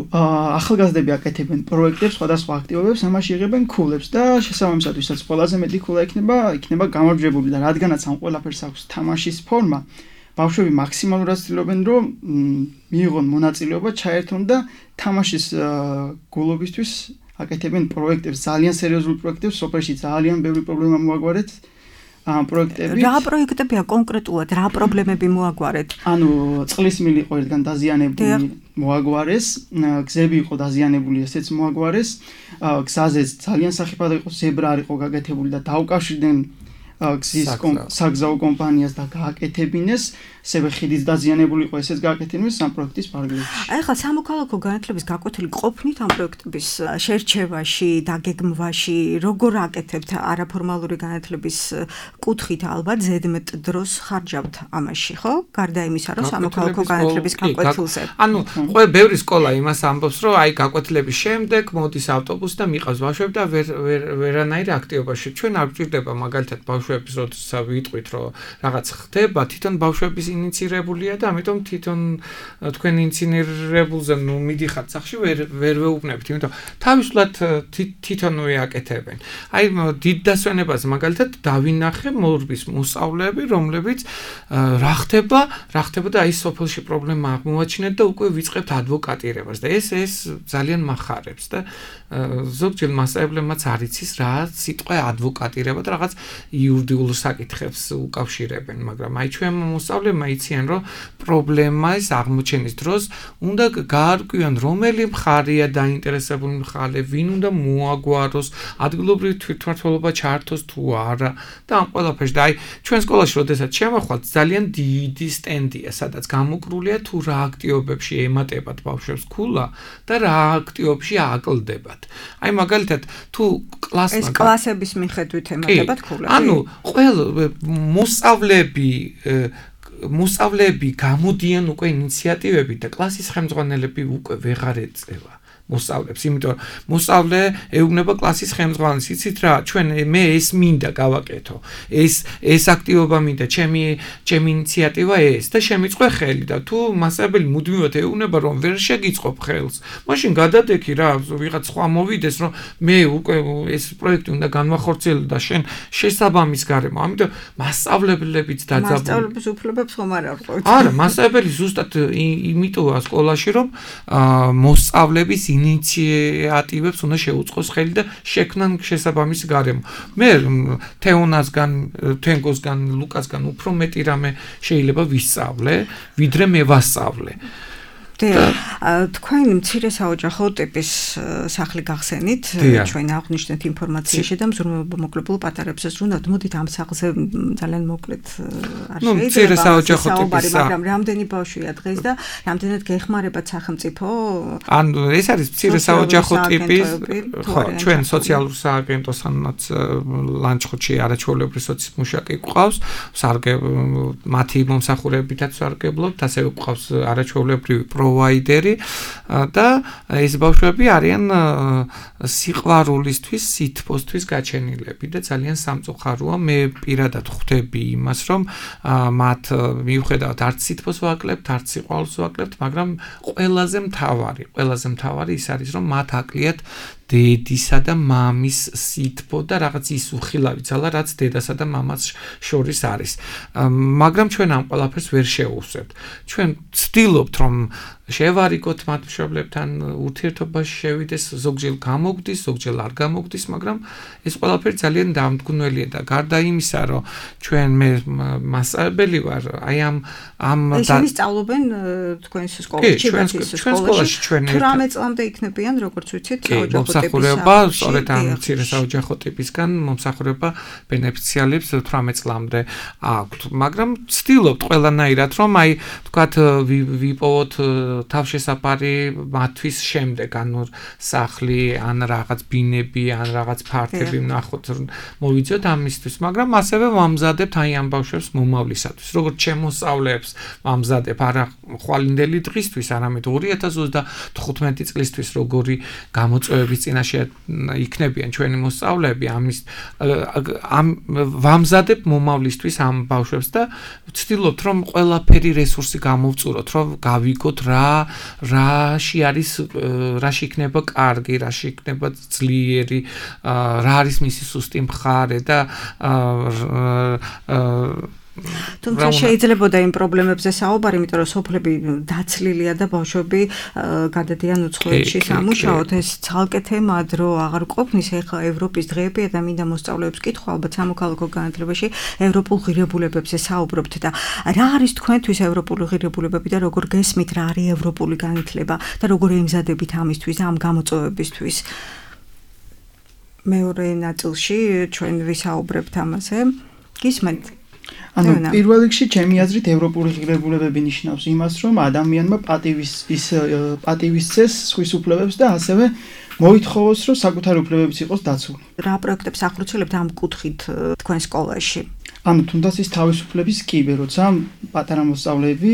ახალგაზრდები აკეთებენ პროექტებს, სხვადასხვა აქტივობებს, ამაში იღებენ ქულებს და შესაბამისად, ვისაც ყველაზე მეტი ქულა იქნება, იქნება გამარჯვებული და რადგანაც ამ ყველაფერს აქვს თამაშის ფორმა, ბავშვები მაქსიმალურად ცდილობენ, რომ მიიღონ მონაწილეობა, ჩაერთონ და თამაშის გულობისთვის აკეთებენ პროექტებს, ძალიან სერიოზულ პროექტებს, სოფელში ძალიან ბევრი პრობლემა მოაგვარეთ ამ პროექტებით. რა პროექტებია კონკრეტულად, რა პრობლემები მოაგვარეთ? ანუ წყლის მილი იყო ერთგან დაზიანებული, მოაგვარეს, გზები იყო დაზიანებული, ესეც მოაგვარეს, გზაზე ძალიან სახიფათო იყო, ზებრა არ იყო გაკეთებული და დაუკავშირდნენ გზის საგზაო კომპანიას და გააკეთებინეს, ასევე ხიდის დაზიანებული იყო, ესეც გააკეთებინეს ამ პროექტის პარალელში. აი ხა სამოქალაქო განათლების გაკვეთილი ყოფნით ამ პროექტების შერჩევაში, დაგეგმვაში, როგორ აკეთებთ არაფორმალური განათლების კუთხით ალბათ ზედმეტ დროს ხარჯავთ ამაში, ხო? გარდა იმისა, რომ სამოქალაქო განათლების გაკვეთილზე. ანუ ყველა ბევრი სკოლა იმას ამბობს, რომ აი გაკვეთილების შემდეგ მოდის ავტობუსი და მიყავს ბავშვები და ვერანაირ აქტივობაში. ჩვენ არ გვჭირდება მაგალითად ბავშვების როდესაც ვიტყვით, რომ რაღაც ხდება, თვითონ ბავშვების ინიცირებულია და ამიტომ თვითონ თქვენ ინიცირებულზე ნუ მიდიხართ სახში ვერ ვერ ვეუბნებთ, იმიტომ თავისულად თვითონვე აკეთებენ. აი დიდ დასვენებას მაგალითად დავინახე მორბის მოსწავლეები, რომლებიც რა ხდება, რა ხდება და აი სოფელში პრობლემა აღმოაჩინეთ და უკვე ვიწყებთ ადვოკატირებას და ეს ეს ძალიან מחარებს და ზოგჯერ მასწავლებლებმაც არ იცის რა სიტყვა ადვოკატირება და რაღაც იურიდიულ საკითხებს უკავშირებენ, მაგრამ აი ჩვენ მოსწავლეებმა იციან, რომ პრობლემას აღმოჩენის დროს უნდა გაარკვიონ, რომელი მხარეა დაინტერესებული მხარე, ვინ უნდა მოაგვაროს, ადგილობრივი თვითმმართველობა ჩართოს თუ არა და ამ ყველაფერში და აი ჩვენ სკოლაში როდესაც შემოხვალთ, ძალიან დიდი სტენდია, სადაც გამოკრულია თუ რა აქტივობებში ემატებათ ბავშვებს ქულა და რა აქტივობებში აკლდებათ. აი მაგალითად თუ კლასმა ეს კლასების მიხედვით ემატებათ ქულები. ანუ ყველა მოსწავლეები მოსწავლეები გამოდიან უკვე ინიციატივები და კლასის ხელმძღვანელები უკვე ვეღარ ეწევა. მოსწავლებს, იმიტომ რომ მოსწავლე ეუბნება კლასის ხელმძღვანელს, იცით რა, ჩვენ მე ეს მინდა გავაკეთო. ეს ეს აქტივობა მინდა, ჩემი ჩემი ინიციატივა ეს და შემიწყე ხელი და თუ მასწავლებელი მუდმივად ეუბნება რომ ვერ შეგიწყობ ხელს, მაშინ გადადექი რა, ვიღაც სხვა მოვიდეს რომ მე უკვე ეს პროექტი უნდა განვახორციელო და შენ შესაბამის გარემო. ამიტომ მასწავლებლებიც დაძაბული. მასწავლებლების უფლებებს ხომ არ არღვევთ. არა, მასწავლებელი ზუსტად იმიტოა სკოლაში რომ მოსწავლების ინიციატივებს უნდა შეუწყოს ხელი და შექმნან შესაბამის გარემო. მე თეონასგან, თენგოსგან, ლუკასგან უფრო მეტი რამე შეიძლება ვისწავლე, ვიდრე მე ვასწავლე. თქვენ მცირე საოჯახო ტიპის სახლი გახსენით, ჩვენ აღვნიშნეთ ინფორმაციაში და მზრუნველმოკლებულ პატარებსაც ვუნდათ, მოდით ამ სახლზე ძალიან მოკლედ არ შეიძლება. ნუ მცირე საოჯახო ტიპის მაგრამ რამდენი ბავშვია დღეს და რამდენად გეხმარებათ სახელმწიფო? ანუ ეს არის მცირე საოჯახო ტიპის, ხო, ჩვენ სოციალურ სააგენტოსანაც ლანჩხუთში არაჩვეულებრივი სოციალური მუშაკი გვყავს, სარგე მათი მომსახურებითაც სარგებლობთ, ასევე გვყავს არაჩვეულებრივი პროვაიდერი და ეს ბავშვები არიან სიყვარულისთვის, სითბოსთვის გაჩენილები და ძალიან სამწუხაროა. მე პირადად ხვდები იმას, რომ მათ მიუხედავად არც სითბოს ვაკლებთ, არც სიყვარულს ვაკლებთ, მაგრამ ყველაზე მთავარი, ყველაზე მთავარი ის არის, რომ მათ აკლიათ დედისა და მამის სითბო და რაღაც ის უხილავი ძალა, რაც დედასა და მამას შორის არის. მაგრამ ჩვენ ამ ყველაფერს ვერ შევუსვებთ. ჩვენ ვცდილობთ, რომ შევარიგოთ მათ მშობლებთან, ურთიერთობაში შევიდეს, ზოგჯერ გამოგვდის, ზოგჯერ არ გამოგვდის, მაგრამ ეს ყველაფერი ძალიან დამდგუნველია და გარდა იმისა, რომ ჩვენ მე მასწავლებელი ვარ, აი ამ ამ ისინი სწავლობენ თქვენს სკოლაში, ჩვენ სკოლაში ჩვენ თვრამეტ წლამდე იქნებიან, როგორც ვიცით, საოჯახო მომსახურება, სწორედ ამ მცირე საოჯახო ტიპისგან მომსახურება ბენეფიციალებს თვრამეტ წლამდე აქვთ, მაგრამ ვცდილობთ ყველანაირად, რომ აი თქვათ ვიპოვოთ თავშესაფარი მათთვის შემდეგ, ანუ სახლი, ან რაღაც ბინები, ან რაღაც ფართები ვნახოთ, მოვიძიოთ ამისთვის, მაგრამ ასევე ვამზადებთ აი ამ ბავშვებს მომავლისათვის, როგორც შემოსწავლეებს ვამზადებ არა ხვალინდელი დღისთვის, არამედ ორი ათას ოცდახუთმეტი წლისთვის, როგორი გამოწვევების წინაშე იქნებიან ჩვენი მოსწავლეები, ამის ამ ვამზადებ მომავლისთვის ამ ბავშვებს და ვცდილობთ, რომ ყველაფერი რესურსი გამოვწუროთ, რომ გავიგოთ რა რაში არის, რაში იქნება კარგი, რაში იქნება ძლიერი, რა არის მისი სუსტი მხარე და თუმცა შეიძლებოდა იმ პრობლემებზე საუბარი, იმიტომ რომ სოფლები დაცლილია და ბავშვები გადადიან უცხოეთში სამუშაოდ. ეს ცალკე თემაა, დრო აღარ ყოფნის. ეხლა ევროპის დღეებია და მინდა მოსწავლეებს კითხვა, ალბათ სამოქალაქო განათლებაში ევროპულ ღირებულებებზე საუბრობთ და რა არის თქვენთვის ევროპული ღირებულებები და როგორ გესმით რა არის ევროპული განათლება და როგორ ემზადებით ამისთვის, ამ გამოწვევებისთვის? მეორე ნაწილში ჩვენ ვისაუბრებთ ამაზე. გისმენთ? ანუ პირველ რიგში ჩემი აზრით ევროპული ღირებულებები ნიშნავს იმას, რომ ადამიანმა პატივის ის პატივისცეს სხვის უფლებებს და ასევე მოითხოვოს, რომ საკუთარი უფლებებიც იყოს დაცული. რა პროექტებს ახორციელებთ ამ კუთხით თქვენ სკოლაში? ანუ თუნდაც ის თავისუფლების კიბე, როცა პატარა მოსწავლეები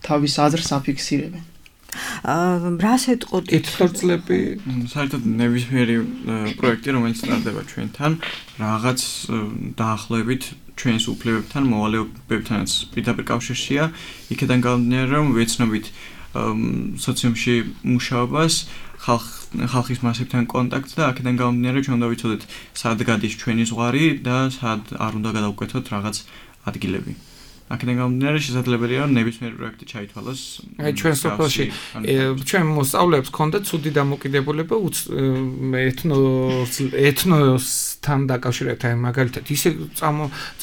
თავის აზრს აფიქსირებენ. რას ეტყოდით? კითხვები, საერთოდ ნებისმიერი პროექტი, რომელიც ტარდება ჩვენთან, რაღაც დაახლოებით ჩვენს უფლებებთან, მოვალეობებთანაც პირდაპირ კავშირშია. იქიდან გამომდინარე, რომ ვეცნობით სოციუმში მუშაობას, ხალხის მასებთან კონტაქტს და აქედან გამომდინარე, ჩვენ უნდა ვიცოდეთ, სად გადის ჩვენი ზღვარი და სად არ უნდა გადავკვეთოთ რაღაც ადგილები. აქედან გამომდინარე, შესაძლებელია, რომ ნებისმიერი პროექტი ჩაითვალოს. აი ჩვენ სოფელში ჩვენ მოსწავლეებს ჰქონდათ ცუდი დამოკიდებულება ეთნო ეთნოსთან დაკავშირებით, მაგალითად ისე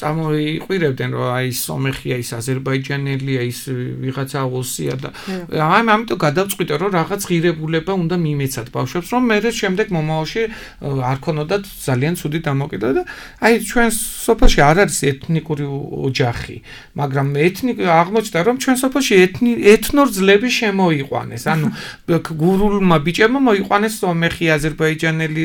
წამოიყვირებდნენ, რომ აი სომეხია, ის აზერბაიჯანელია, ის ვიღაცა ოსია და აი ამიტომ გადავწყვიტე, რომ რაღაც ღირებულება უნდა მიმეცათ ბავშვებს, რომ მე შემდეგ მომავალში არ ქონოდათ ძალიან ცუდი დამოკიდებულება და აი ჩვენ სოფელში არ არის ეთნიკური ოჯახი. მაგრამ ეთნი აღმოჩნდა რომ ჩვენ სოფელში ეთნი ეთნურ ძლები შემოიყვანეს ანუ გურულმა ბიჭებმა მოიყვანეს სომეხი აზერბაიჯანელი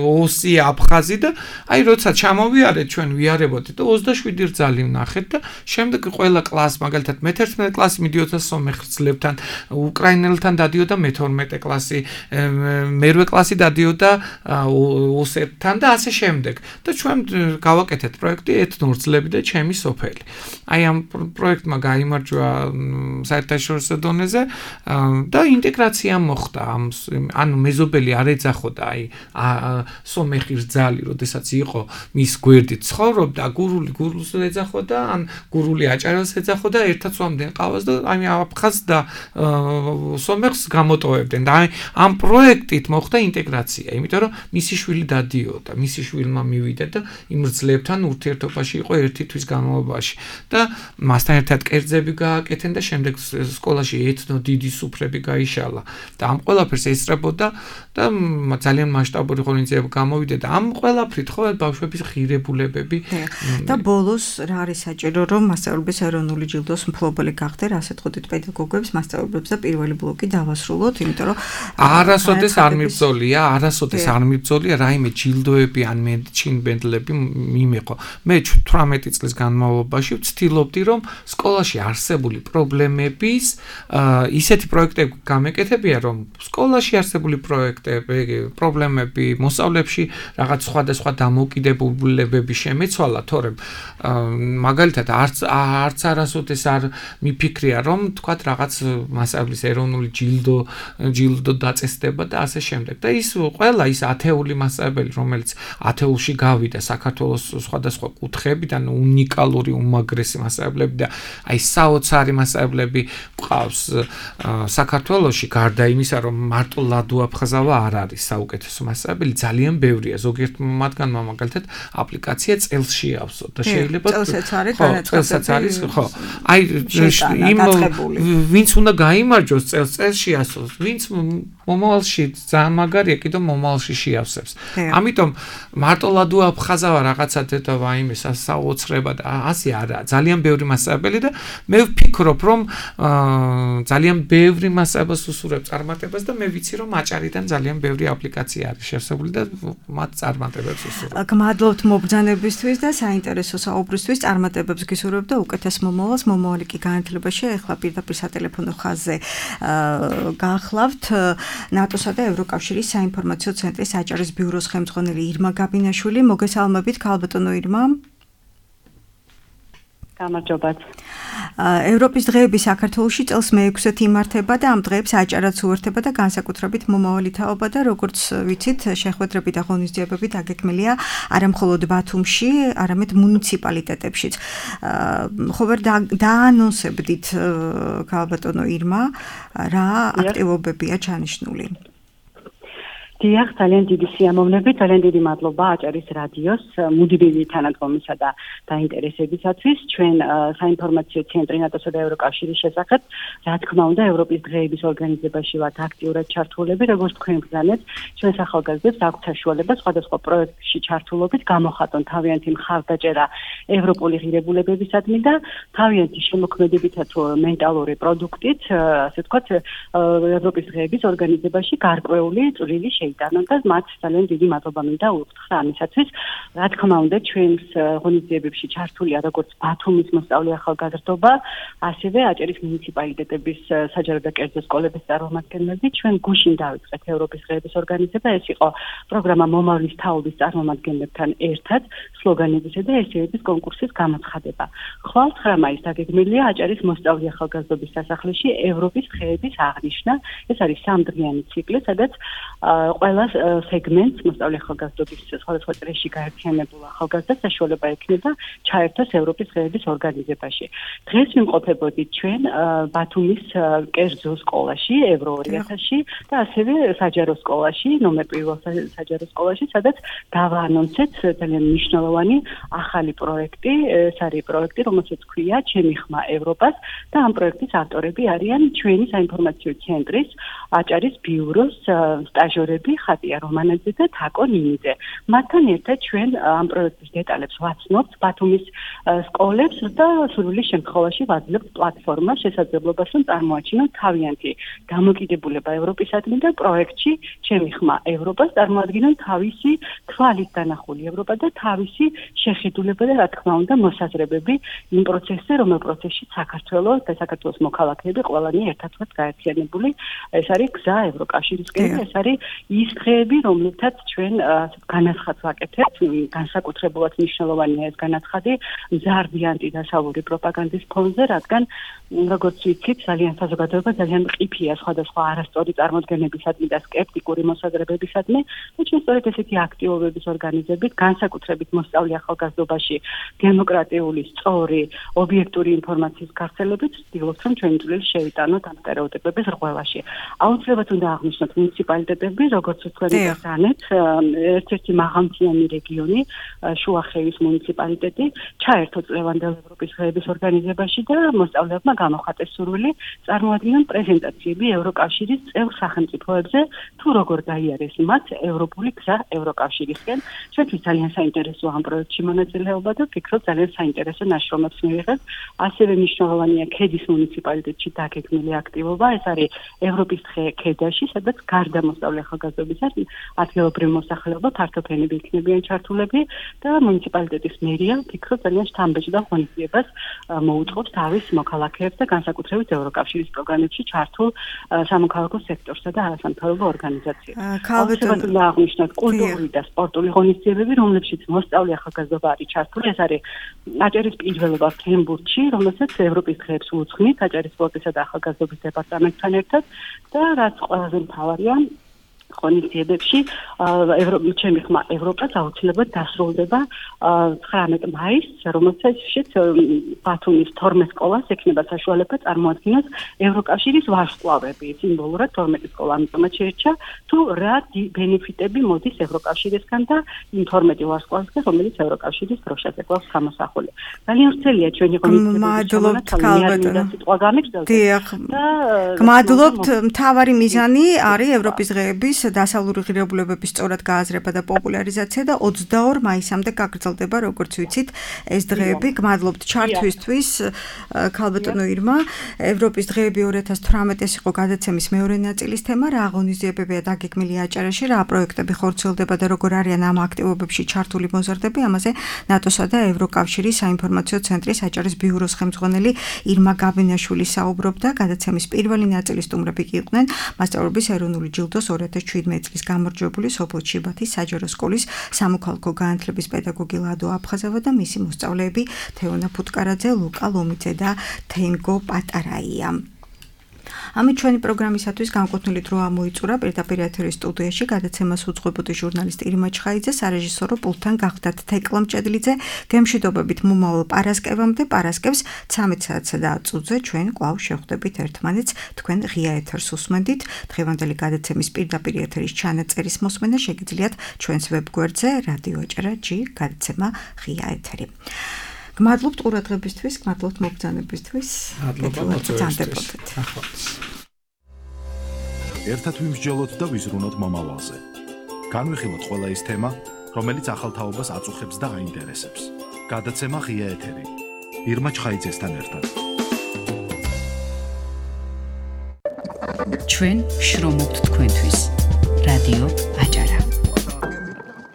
ოსი აფხაზი და აი როცა ჩამოვიარეთ ჩვენ ვიარებოდით და ოცდაშვიდი რძალი ვნახეთ და შემდეგ ყველა კლასს მაგალითად მეთერთმეტე კლასი მიდიოდა სომეხ ძლებთან უკრაინელთან დადიოდა მეთორმეტე კლასი მერვე კლასი დადიოდა ოსებთან და ასე შემდეგ და ჩვენ გავაკეთეთ პროექტი ეთნურ ძლები და ჩემი სოფელი აი ამ პროექტმა გაიმარჯვა საერთაშორისო დონეზე და ინტეგრაცია მოხდა ამ ანუ მეზობელი არ ეძახოდა აი სომეხი რძალი როდესაც იყო მის გვერდით ცხოვრობდა გურული გურულს ეძახოდა ან გურული აჭარელს ეძახოდა ერთად სვამდნენ ყავას და აი აფხაზს და სომეხს გამოტოვებდნენ და აი ამ პროექტით მოხდა ინტეგრაცია იმიტომ რომ მისი შვილი დადიოდა მისი შვილმა მივიდა და იმ რძლებთან ურთიერთობაში იყო ერთი თვის განმავლობაში და მასთან ერთად კერძები გააკეთენ და შემდეგ სკოლაში ეთნო დიდი სუფრები გაიშალა და ამ ყველაფერს ესწრებოდა და ძალიან მასშტაბური ღონისძიება გამოვიდა და ამ ყველაფრით ხო ბავშვების ღირებულებები და ბოლოს რა არის საჭირო რომ მასწავლებლების ეროვნული ჯილდოს მფლობელი გახდე რასაც ხვდით პედაგოგებს მასწავლებლებს და პირველი ბლოკი დავასრულოთ იმიტომ რომ არასოდეს არ მიბრძოლია არასოდეს არ მიბრძოლია რაიმე ჯილდოები ან მე ჩინბენდლები მიმეყო მე თვრამეტი წლის განმავლობაში ვცდილობდი რომ სკოლაში არსებული პრობლემების ისეთი პროექტები გამეკეთებია რომ სკოლაში არსებული პროექტები პრობლემები მოსწავლეებში რაღაც სხვადასხვა დამოუკიდებულებები შემეცვალა თორემ მაგალითად არც არც არასოდეს არ მიფიქრია რომ თქვათ რაღაც მასწავლებლის ეროვნული ჯილდო ჯილდო დაწესდება და ასე შემდეგ და ის ყველა ის ათეული მასწავლებელი რომელიც ათეულში გავიდა საქართველოს სხვადასხვა კუთხეებიდან უნიკალური უმაგრესი მასწავლებლები და აი საოცარი მასწავლებლები ყავს საქართველოში გარდა იმისა რომ მარტო ლადო აფხაზავა არ არის საუკეთესო მასწავლებელი ძალიან ბევრია ზოგიერთ მათგანმა მაგალითად აპლიკაცია წელსში ავსო და შეიძლება წელსაც არის წელსაც არის ხო აი იმ ვინც უნდა გაიმარჯოს წელს წელსში ასოს ვინც მომავალში ძალიან მაგარია კიდევ მომავალში შეავსებს ამიტომ მარტო ლადო აფხაზავა რაღაცა და ვაიმე საოცრება და ასე არა ძალიან ბევრი მასწავლებელი და მე ვფიქრობ რომ ძალიან ბევრი მასწავლებელს უსურვებს წარმატებას და მე ვიცი რომ აჭარიდან ძალიან ბევრი აპლიკაცია არის შევსებული და მათ წარმატებებს უსურვებს გმადლობთ მობრძანებისთვის და საინტერესო საუბრისთვის წარმატებებს გისურვებთ და უკეთეს მომავალს მომავალი კი განათლებაში ახლა პირდაპირ სატელეფონო ხაზზე გაახლავთ ნატოსა და ევროკავშირის საინფორმაციო ცენტრის აჭარის ბიუროს ხელმძღვანელი ირმა გაბინაშვილი მოგესალმებით ქალბატონო ირმა გამარჯობათ ევროპის დღეები საქართველოში წელს მეექვსედ იმართება და ამ დღეებს აჭარაც უერთდება და განსაკუთრებით მომავალი თაობა და როგორც ვიცით შეხვედრები და ღონისძიებები დაგეგმილია არა მხოლოდ ბათუმში, არამედ მუნიციპალიტეტებშიც. ხო ვერ დაანონსებდით ქალბატონო ირმა რა აქტივობებია ჩანიშნული? დიახ, ძალიან დიდი სიამოვნებით, ძალიან დიდი მადლობა აჭარის რადიოს მუდმივი თანადგომისა და დაინტერესებისათვის. ჩვენ საინფორმაციო ცენტრი ნატოსა და ევროკავშირის შესახებ, რა თქმა უნდა, ევროპის დღეების ორგანიზებაში ვართ აქტიურად ჩართულები, როგორც თქვენ ბრძანეთ, ჩვენს ახალგაზრდებს აქვთ საშუალება სხვადასხვა პროექტში ჩართულობით გამოხატონ თავიანთი მხარდაჭერა ევროპული ღირებულებებისადმი და თავიანთი შემოქმედებითა თუ მენტალური პროდუქტით, ასე ვთქვათ, ევროპის დღეების ორგანიზებაში გარკვეული წვლილი იტანონ და მათ ძალიან დიდი მადლობა მინდა უთხრა ამისათვის. რა თქმა უნდა, ჩვენს ღონისძიებებში ჩართულია როგორც ბათუმის მოსწავლე ახალგაზრდობა, ასევე აჭარის მუნიციპალიტეტების საჯარო და კერძო სკოლების წარმომადგენლები. ჩვენ გუშინ დავიწყეთ ევროპის დღეების ორგანიზება, ეს იყო პროგრამა მომავლის თაობის წარმომადგენლებთან ერთად სლოგანებისა და ესეების კონკურსის გამოცხადება. ხვალ ცხრა მაისს დაგეგმილია აჭარის მოსწავლე ახალგაზრდობის სასახლეში ევროპის დღეების აღნიშვნა. ეს არის სამდღიანი ციკლი, სადაც ყველა სეგმენტს მოსწავლე ახალგაზრდობის სხვადასხვა წრეში გაერთიანებულ ახალგაზრდას საშუალება ექნება ჩაერთოს ევროპის დღეების ორგანიზებაში. დღეს ვიმყოფებოდით ჩვენ ბათუმის კერძო სკოლაში, ევრო ორი ათასში და ასევე საჯარო სკოლაში, ნომერ პირველ საჯარო სკოლაში, სადაც დავაანონსეთ ძალიან მნიშვნელოვანი ახალი პროექტი, ეს არის პროექტი, რომელსაც ქვია ჩემი ხმა ევროპას და ამ პროექტის ავტორები არიან ჩვენი საინფორმაციო ცენტრის აჭარის ბიუროს სტაჟიორები მეგობრები ხატია რომანაძე და თაკო ნინიძე. მათთან ერთად ჩვენ ამ პროექტის დეტალებს ვაცნობთ ბათუმის სკოლებს და სრული შემთხვევაში ვაძლევთ პლატფორმას შესაძლებლობას რომ წარმოაჩინოთ თავიანთი დამოკიდებულება ევროპისადმი და პროექტში ჩემი ხმა ევროპას წარმოადგენენ თავისი თვალით დანახული ევროპა და თავისი შეხედულება და რა თქმა უნდა მოსაზრებები იმ პროცესზე რომელ პროცესში საქართველოს და საქართველოს მოქალაქეები ყველანი ერთად ვართ გაერთიანებული ეს არის გზა ევროკავშირისკენ ეს არის ის დღეები რომლითაც ჩვენ განაცხადს ვაკეთებთ განსაკუთრებულად მნიშვნელოვანია ეს განაცხადი მზარდიანტი დასავლური პროპაგანდის ფონზე რადგან როგორც ვიცით ძალიან საზოგადოება ძალიან მყიფეა სხვადასხვა არასწორი წარმოდგენებისადმი და სკეპტიკური მოსაზრებებისადმი და ჩვენ სწორედ ესეთი აქტივობების ორგანიზებით განსაკუთრებით მოსწავლე ახალგაზრდობაში დემოკრატიული სწორი ობიექტური ინფორმაციის გავრცელებით ვცდილობთ რომ ჩვენი წვლილი შევიტანოთ ამ სტერეოტიპების რღვევაში აუცილებლად უნდა აღვნიშნოთ მუნიციპალიტეტები როგორც თქვენი გასანეთ ერთ-ერთი მაღალმთიანი რეგიონი შუახევის მუნიციპალიტეტი ჩაერთო წლევანდელ ევროპის დღეების ორგანიზებაში და მოსწავლეებმა გამოხატეს სურვილი წარმოადგინონ პრეზენტაციები ევროკავშირის წევრ სახელმწიფოებზე თუ როგორ გაიარეს მათ ევროპული გზა ევროკავშირისკენ ჩვენთვის ძალიან საინტერესოა ამ პროექტში მონაწილეობა და ვფიქრობ ძალიან საინტერესო ნაშრომებს მივიღებთ ასევე მნიშვნელოვანია ქედის მუნიციპალიტეტში დაგეგმილი აქტივობა ეს არის ევროპის დღე ქედაში სადაც გარდა მოსწავლე ახალგაზრდობისა ადგილობრივი მოსახლეობა ფართოფენები იქნებიან ჩართულები და მუნიციპალიტეტის მერია ვფიქრობ ძალიან შთამბეჭდავ ღონისძიებას მოუწყობს თავის მოქალაქეებს და განსაკუთრებით ევროკავშირის პროგრამებში ჩართულ სამოქალაქო სექტორსა და არასამთავრობო ორგანიზაციებს. აუცილებლად აღნიშნოთ კულტურული და სპორტული ღონისძიებები, რომლებშიც მოსწავლე ახალგაზრდობა არის ჩართული. ეს არის აჭარის პირველობა ფრენბურთში, რომელსაც ევროპის დღეებს უძღვნით აჭარის სპორტისა და ახალგაზრდობის დეპარტამენტთან ერთად და რაც ყველაზე მთავარია ღონისძიებებში ჩემი ხმა ევროპას აუცილებლად დასრულდება ცხრამეტ მაისს, რომელსაც ბათუმის თორმეტ სკოლას ექნება საშუალება წარმოადგინოს ევროკავშირის ვარსკვლავები, სიმბოლურად თორმეტი სკოლა ამიტომაც შეირჩა, თუ რა ბენეფიტები მოდის ევროკავშირისგან და იმ თორმეტი ვარსკვლავისგან, რომელიც ევროკავშირის დროშაზე გვაქვს გამოსახული. ძალიან ვრცელია ჩვენი ღონისძიებები. გმადლობთ, მთავარი მიზანი არის ევროპის დღეების დასავლური ღირებულებების სწორად გააზრება და პოპულარიზაცია და ოცდაორ მაისამდე გაგრძელდება, როგორც ვიცით, ეს დღეები. გმადლობთ ჩართვისთვის, ქალბატონო ირმა. ევროპის დღეები ორი ათას თვრამეტი იყო გადაცემის მეორე ნაწილის თემა, რა აღონიზიებებია დაგეგმილი აჭარაში, რა პროექტები ხორციელდება და როგორ არიან ამ აქტივობებში ჩართული მოზარდები. ამაზე ნატოსა და ევროკავშირის საინფორმაციო ცენტრის აჭარის ბიუროს ხელმძღვანელი ირმა გაბინაშვილი საუბრობდა. გადაცემის პირველი ნაწილის სტუმრები კი იყვნენ მასწავლებლების ეროვნული ჯილდოს ორი ათას შვიდმეტი წლის გამარჯვებული სოფელ ჩიბათის საჯარო სკოლის სამოქალაქო განათლების პედაგოგი ლადო აფხაზავა და მისი მოსწავლეები თეონა ფუტკარაძე, ლუკა ლომიძე და თენგო პატარაია. ამით ჩვენი პროგრამისათვის განკუთვნილი დრო ამოიწურა. პირდაპირ ეთერის სტუდიაში გადაცემას უძღვებოდი ჟურნალისტი ირმა ჩხაიძე, სარეჟისორო პულტთან გახდათ თეკლა მჭედლიძე. გემშვიდობებით მომავალ პარასკევამდე, პარასკევს ცამეტ საათსა და ათ წუთზე ჩვენ კვლავ შევხვდებით ერთმანეთს. თქვენ ღია ეთერს უსმენდით. დღევანდელი გადაცემის პირდაპირ ეთერის ჩანაწერის მოსმენა შეგიძლიათ ჩვენს ვებგვერდზე რადიო აჭარა ჯი გადაცემა ღია ეთერი. გმადლობთ ყურადღებისთვის, გმადლობთ მობრძანებისთვის. მადლობა. ერთად ვიმსჯელოთ და ვიზრუნოთ მომავალზე. განვიხილოთ ყველა ის თემა, რომელიც ახალ თაობას აწუხებს და აინტერესებს. გადაცემა ღია ეთერი. ირმა ჩხაიძესთან ერთად. ჩვენ შრომობთ თქვენთვის. რადიო